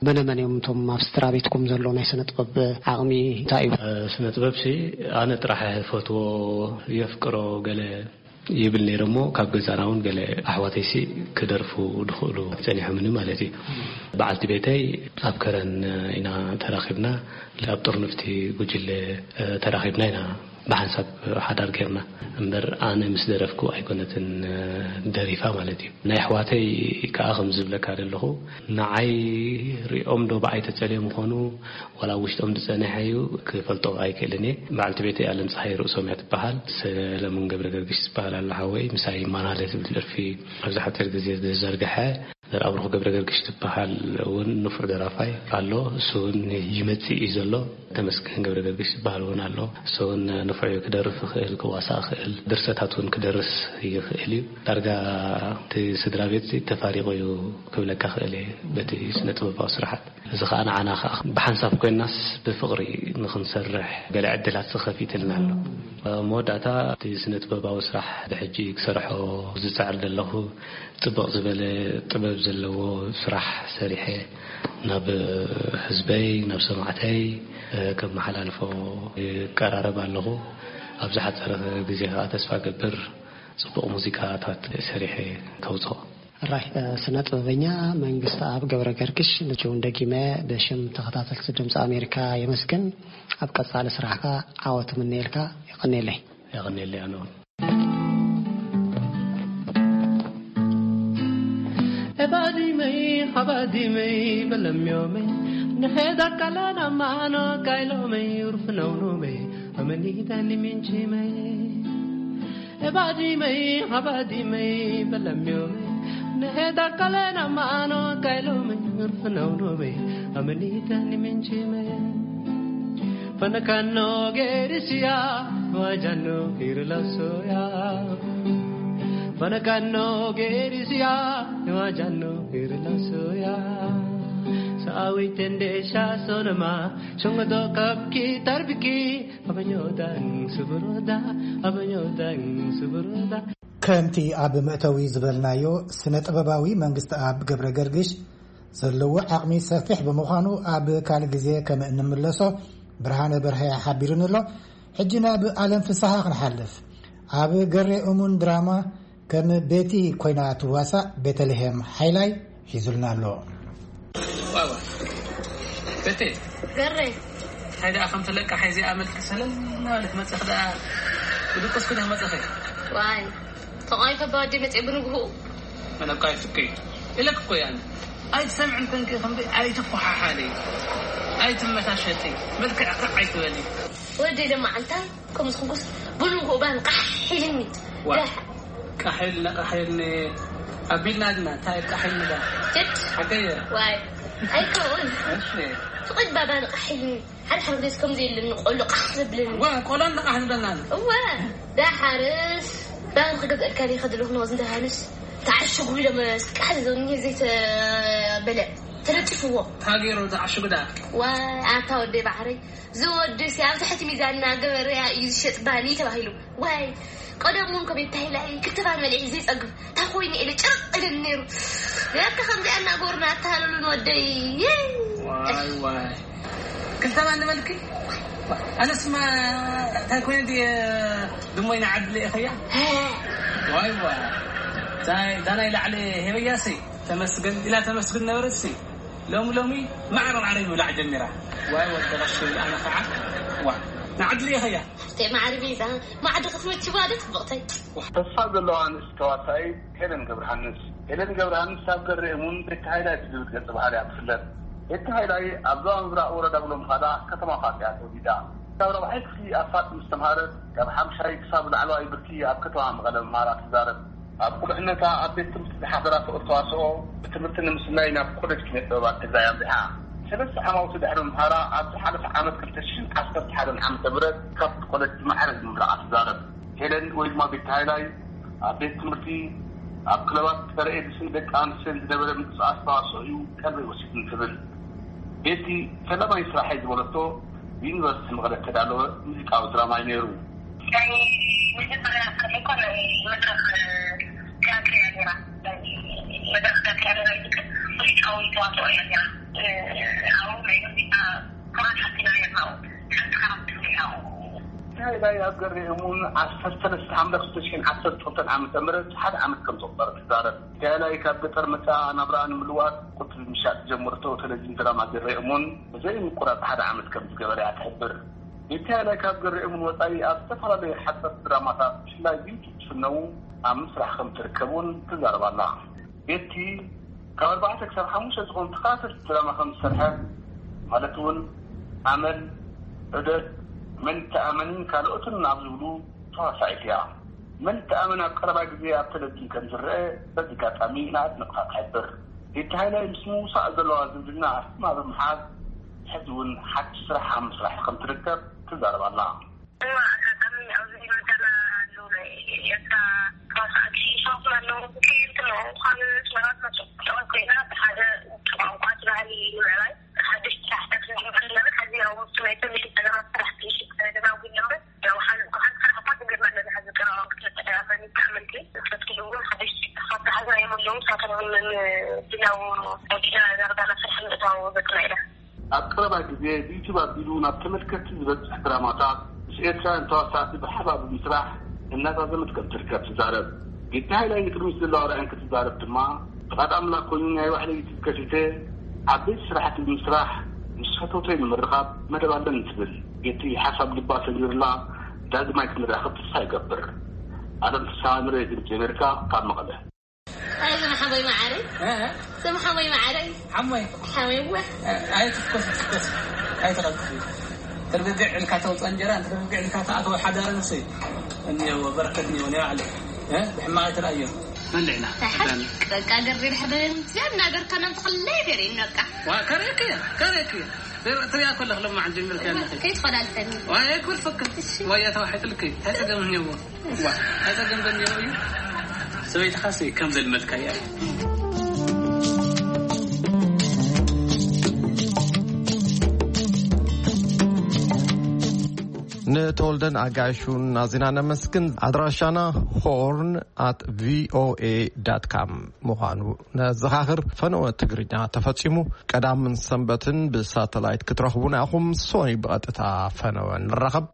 መነ መን እዮም እቶም ኣብ ስድራ ቤትኩም ዘሎ ናይ ስነ ጥበብ ዓቕሚ እንታይ እዩ? ስነ ጥበብ ሲ ኣነ ጥራሕ ፈትዎ የፍቅሮ ገለ ይብል ነይረ እሞ፣ ካብ ገዛና እውን ገለ ኣሕዋተይሲ ክደርፉ ድኽእሉ ጸኒሖምኒ ማለት እዩ። በዓልቲ ቤተይ ኣብ ከረን ኢና ተራኺብና፣ ኣብ ጥርንፍቲ ጉጅለ ተራኺብና ኢና ብሓንሳብ ሓዳር ጌርና። እምበር ኣነ ምስ ደረፍኩ ኣይኮነትን ደሪፋ ማለት እዩ። ናይ ኣሕዋተይ ከኣ ከም ዝብለካ ዘለኹ፣ ንዓይ ሪኦም ዶ ብዓይ ተጸልዮም ይኾኑ፣ ዋላ ውሽጦም ዝጸንሐ እዩ ክፈልጦ ኣይክእልን እየ። በዓልቲ ቤተይ ኣለም ፀሃይ ርእሶም እያ ትበሃል። ሰለሙን ገብረ ገርግሽ ዝበሃል ኣሎ ሓወይ፣ ምሳይ ማናለ ዝብል ደርፊ ኣብዚ ሓፂር ግዜ ዝዘርግሐ። ዘርኣብሩኽ ገብረ ገርግሽ ዝበሃል እውን ንፉዕ ደራፋይ ኣሎ። እሱ እውን ይመጽእ እዩ ዘሎ። ተመስገን ገብረ ገርግሽ ዝበሃል እውን ኣሎ። እሱ እውን ንፉዕ እዩ፣ ክደርፍ ይኽእል፣ ክዋሳእ ይኽእል፣ ድርሰታት እውን ክደርስ ይኽእል እዩ። ዳርጋ እቲ ስድራ ቤት ተፋሪቑ እዩ ክብለካ ክእል እየ በቲ ስነ ጥበባዊ ስራሓት። እዚ ኸኣ ንዓና ኸኣ ብሓንሳብ ኮይናስ ብፍቕሪ ንኽንሰርሕ ገለ ዕድላት ዝኸፊትልና ኣሎ። መወዳእታ እቲ ስነ ጥበባዊ ስራሕ ብሕጂ ክሰርሖ ዝጽዕር ዘለኹ ጽብቕ ዝበለ ጥበብ ዘለዎ ስራሕ ሰሪሐ ናብ ህዝበይ፣ ናብ ሰማዕተይ ከመሓላልፎ ይቀራረብ ኣለኹ። ኣብ ዝሓጸረ ግዜ ኸኣ ተስፋ ገብር ጽቡቕ ሙዚቃታት ሰሪሐ ከውጽኦ። ራይ ስነ ጥበበኛ መንግስቲ ኣብ ገብረ ገርግሽ፣ ንችውን ደጊመ ብሽም ተኸታተልቲ ድምፂ ኣሜሪካ የመስግን። ኣብ ቀጻሊ ስራሕካ ዓወት ምነየልካ። የቐኔለይ። የቐኔለይ ኣነ እውን። Ebadimei, habadimei, belemyomei, neheda kalana mano kailomei, urfnaunumei, amenida niminchimei. Ebadimei, habadimei, belemyomei, neheda kalana mano kailomei, urfnaunumei, amenida niminchimei. Panakano gerisia, wajano hirlasoya. Panakano gerisia, wajano hirlasoya. Awitende sha sonama, shungodo kapki tarbiki, abanyodan suburoda, abanyodan suburoda. ከምቲ ኣብ መእተዊ ዝበልናዮ፣ ስነ ጥበባዊ መንግስቲ ኣብ ገብረ ገርግሽ ዘለዎ ዓቕሚ ሰፊሕ ብምዃኑ ኣብ ካልእ ግዜ ከም እንምለሶ ብርሃነ በርሀ ሓቢሩኒ ኣሎ። ሕጂ ናብ ኣለም ፍስሓ ክንሓልፍ። ኣብ ገሬ እሙን ድራማ ከም ቤቲ ኮይና ትዋሳእ ቤተልሔም ሓይላይ ሒዙልና ኣሎ። ዋዋ። ቤቴ። ገሬ። እንታይ ደኣ ከም ትለቃ ሓይዚ ኣመልኪ ሰለል እናበለት መጽኽ ደኣ ብድቁስ ኩነ መጽኸ። ዋይ። ተቓይ ከባዲ መጽእ ብንግሁ። መለቃ ይፍቀይ። ኢለክ እኮ ያን። ኣይትሰምዕን ኮንኪ ከምዚ ኣይትኳሓሓሊ። ኣይትመታሸጢ። መልክዕ ክዕ ኣይትበሊ። ወዲ ደማ እንታይ? ከምዚ ክንኩስ ብንግሁ ባን ቃሕ ኢልኒ። ዋ። ዳሕ። ቃሕ ኢልና፣ ቃሕ ኢልኒ። ኣቢልና ድና፣ እንታይ ቃሕ ኢልኒ ዳ? ጭጭ። ሓቀየ። ዋይ። ኣይከውን። እሺ። ፍቕድ ባባን ቃሕ ኢልኒ። ሓደ ሓደ ግዜ ከምዚ ኢልኒ ቆሎ ቃሕ ዘብለኒ። ዋ፣ ቆሎ ንቃሕ ዝበልና። እወ። ዳሓርስ ባን ክገዝአልካ ዲየ ከድልኹ ነወዝ እንተ ሃንስ። ተዓሽጉ ኢሎም ቃሕ ዘብለኒ ዘይተበለ። ተለጢፍዎ። ታገይሮ ተዓሽጉ ዳ? ዋ፣ ኣታ ወደይ ባሕረይ። ዝወድስ ኣብ ትሕቲ ሚዛን እናገበረ እዩ ዝሸጥ ባኒ ተባሂሉ። ዋይ፣ ቀደም እውን ከመይ ተባሂላ እየ ክትፋ መሊዒ ዘይጸግብ። እንታይ ኮይኑ ኢለ ጭርቕ ኢለኒ ነይሩ። ለካ ከምዚኣ እናገበሩና ኣተሃለሉን ወደይ። ዋይ፣ ዋይ። ክልተ ባኒ በልኪ? ኣነስማ እንታይ ኮይነ ድየ ድሞይ ንዓዲ ልኢኸያ? ዋይ፣ ዋይ። እዛ፣ እዛ ናይ ላዕሊ ሄበያሲ ተመስገን ኢላ ተመስግን ነበረትሲ። ሎሚ ሎሚ ማዕረ ማዕረ ይብላዕ ጀሚራ። ዋይ ወዲ ቀሺ፣ ኣነ ኸዓ ዋ፣ ንዓዲ ልኢኸያ። እተይ ማዕረ ቤዛ፣ ማዕዲ ክትመችዋ ዶ ጽብቕተይ? ተስፋ ዘለዋ ኣንስቲ ተዋሳኢት ሄለን ገብረሃንስ። ሄለን ገብረሃንስ ኣብ ገሬ እሙን ቤቲ ሃይላይ ብዝብል ገጸ ባህርያ ትፍለጥ። ቤቲ ሃይላይ ኣብ ዞባ ምብራቕ ወረዳ ጉሎምኻዳ ከተማ ፋጥያ ተወሊዳ። ካብ ራብዓይ ክፍሊ ኣፋጥ ምስ ተምሃረት፣ ካብ ሓምሻይ ክሳብ ላዕለዋይ ብርኪ ኣብ ከተማ መቐለ ምምሃራ ትዛረብ። ኣብ ቁልዕነታ ኣብ ቤት ትምህርቲ ዝሓደራቶ ተዋስኦ ብትምህርቲ ንምስናይ ናብ ኮሌጅ ኪነ ጥበባት ትግራይ ኣምሪሓ። ሰለስተ ዓማውቲ ድሕሪ ምምሃራ ኣብ ዝሓለፈ ዓመት ክልተ ሽሕን ዓሰርተ ሓደን ዓመተ ምህረት ካብቲ ኮሌጅ ብማዕረ ምምራቓ ትዛረብ። ሄለን ወይ ድማ ቤቲ ሃይላይ ኣብ ቤት ትምህርቲ፣ ኣብ ክለባት ጸረ ኤድስን ደቂ ኣንስትዮን ዝነበረ ምንቅስቓስ ተዋስኦ እዩ ቀልበይ ወሲዱኒ ትብል። ቤቲ ፈላማይ ስራሐይ ዝበለቶ ብዩኒቨርሲቲ መቐለ እተዳለወ ሙዚቃዊ ድራማ እዩ ነይሩ። ናይ መጀመርያ ስርሒ እኮ ናይ መድረኽ ትያትር እያ ነይራ። ናይ መድረኽ ትያትር እያ ነይራ፣ ግን ሙዚቃዊ ተዋስኦ እያ ነይራ። ኣብኡ ናይ ሙዚቃ ክብረት ሓቲና ነይርና፣ ኣብኡ ሓንቲ ካራክተር እያ። ናይ ኣብ ገሬ እሙን ዓሰርተ ሰለስተ ሓምለ ክልተ ሽሕን ዓሰርተ ክልተን ዓመተ ምህረት ሓደ ዓመት ከም ዘቑጸረ ትዛረብ። ቲያላይ ካብ ገጠር መጻ ናብራኣ ንምልዋጥ ቁጽሪ ምሻጥ ዝጀመረቶ ቴሌቪዥን ድራማ ገሬ እሙን ብዘይ ምቁራጽ ሓደ ዓመት ከም ዝገበረ እያ ትሕብር። ንቲያላይ ካብ ገሬ እሙን ወጻኢ ኣብ ዝተፈላለዩ ሓጸርቲ ድራማታት ብፍላይ ብዩቱብ ዝፍነዉ ኣብ ምስራሕ ከም ትርከብ እውን ትዛረብ ኣላ። ቤቲ ካብ ኣርባዕተ ክሳብ ሓሙሽተ ዝኾኑ ተኸታተልቲ ድራማ ከም ዝሰርሐ፣ ማለት እውን ኣመል፣ ዑደት፣ መን ይተኣመንን ካልኦትን ኣብ ዝብሉ ተዋሳኢት እያ። መን ይተኣመን ኣብ ቀረባ ግዜ ኣብ ቴሌቪዥን ከም ዝረአ በዚ ኣጋጣሚ ንኣድነቕታ ትሕብር። ቤቲ ሃይላይ ምስ ምውሳእ ዘለዋ ዝምድና ኣስማ ብምሓዝ፣ ሕዚ እውን ሓድሽ ስራሕ ኣብ ምስራሕ ከም ትርከብ ትዛረብ ኣላ። እዋ፣ ኣጋጣሚ ኣብዚ መሰላ ኣለዉ ናይ ኤርትራ ተዋሳእቲ ሸውት ኣለዉ። ከየንቲ ኣለዉ። ካብ ኣስመራ ዝመጹ። ጥዑም ኮይና ብሓደ ቋንቋ እቲ ባህሊ ንምዕባይ ሓድሽ ስራሕታት ንክንርኢ ዘለና። ሕዚ ያው ምስቲ ናይ ቴሌቪዥን ጸገማት ስራሕ ትንሽ ተደናጒልና እምበር፣ ያው ሓዚ እኮ ሓንቲ ስራሕ እኳ ጀሚርና ኣለና። ሕዚ ቀረባ ክልተ ኣመት ይተኣመንቲ። ንሰብ ክልውን ሓድሽ ስራሕቲ ሓዝና እዮም ኣለዉ። ንሳቶም እውን ንድላው ናይ ኪነ ዘርጋና ስራሕ ምእታው ዘጽና ኢና። ኣብ ቀረባ ግዜ ብዩቱብ ኣቢሉ ናብ ተመልከትቲ ዝበጽሕ ድራማታት ምስ ኤርትራውያን ተዋሳእቲ ብሓባር ብምስራሕ እናዛዘመት ከም ትርከብ ትዛረብ። ቤቲ ሃይላይ ንቅድሚት ዘለዋ ራእይ እንትትዛረብ ድማ፣ ፍቓድ ኣምላኽ ኮይኑ ናይ ባዕለይ ዩቱብ ከፊተ ዓበይቲ ስራሕቲ ብምስራሕ ምስ ፈተውተይ ንምርኻብ መደብ ኣለኒ ትብል። ቤቲ ሓሳብ ልባ ሰሚሩላ ዳግማይ ክንራኸብ ተስፋ ይገብር። ኣለም ፍስሃ፣ ንሬድዮ ድምፂ ኣሜሪካ ካብ መቐለ። ኣይ፣ ዘመሓወይ መዓረይ። እ? ዘመሓወይ መዓረይ። ሓሞይ። ሓሞይ እወ። እ፣ ኣይትትኮስ፣ ትትኮስ። ኣይትቐልጥፊ። ትርግግዕ ኢልካ ተውፅኦ እንጀራ፣ ትርግግዕ ኢልካ ተኣትዎ ሓዳር ንሱ እዩ። እኒኦ፣ በረከት እኒኦ፣ ናይ ባዕሉ። እ? ብሕማቕ ኣይትረኣዮ። በልዕና። ኣይ፣ ሓቂ፣ በቃ፣ ገሪ ድሕሪ እዚኣ እናገርካ፣ ናብቲ ክልተ ገሪ፣ በቃ። ዋ፣ ከርእየኪ እየ፣ ከርእየኪ እየ። ትሪኣ ከለኽ ለማዓን ጀሚርካ ኣለኺ። ከይትኸዳልተኒ። ዋይ፣ ኣይኮልፈካ። እሺ። ዋይ፣ ኣታ ዋሕጥልኪ። እንታይ ጸገም እኒኦዎ? ዋ፣ እንታይ ጸገም ዘኒኦዎ እዩ? ሰበይትኻሲ ከም ዘልመድካያ እዩ። ንተወልደን ኣጋይሹን ኣዚና ነመስግን። ኣድራሻና ሆርን ኣት ቪኦኤ ዳት ካም ምዃኑ ነዘኻኽር። ፈነወ ትግርኛ ተፈጺሙ። ቀዳምን ሰንበትን ብሳተላይት ክትረኽቡና ኢኹም። ሶኒ ብቐጥታ ፈነወ ንራኸብ።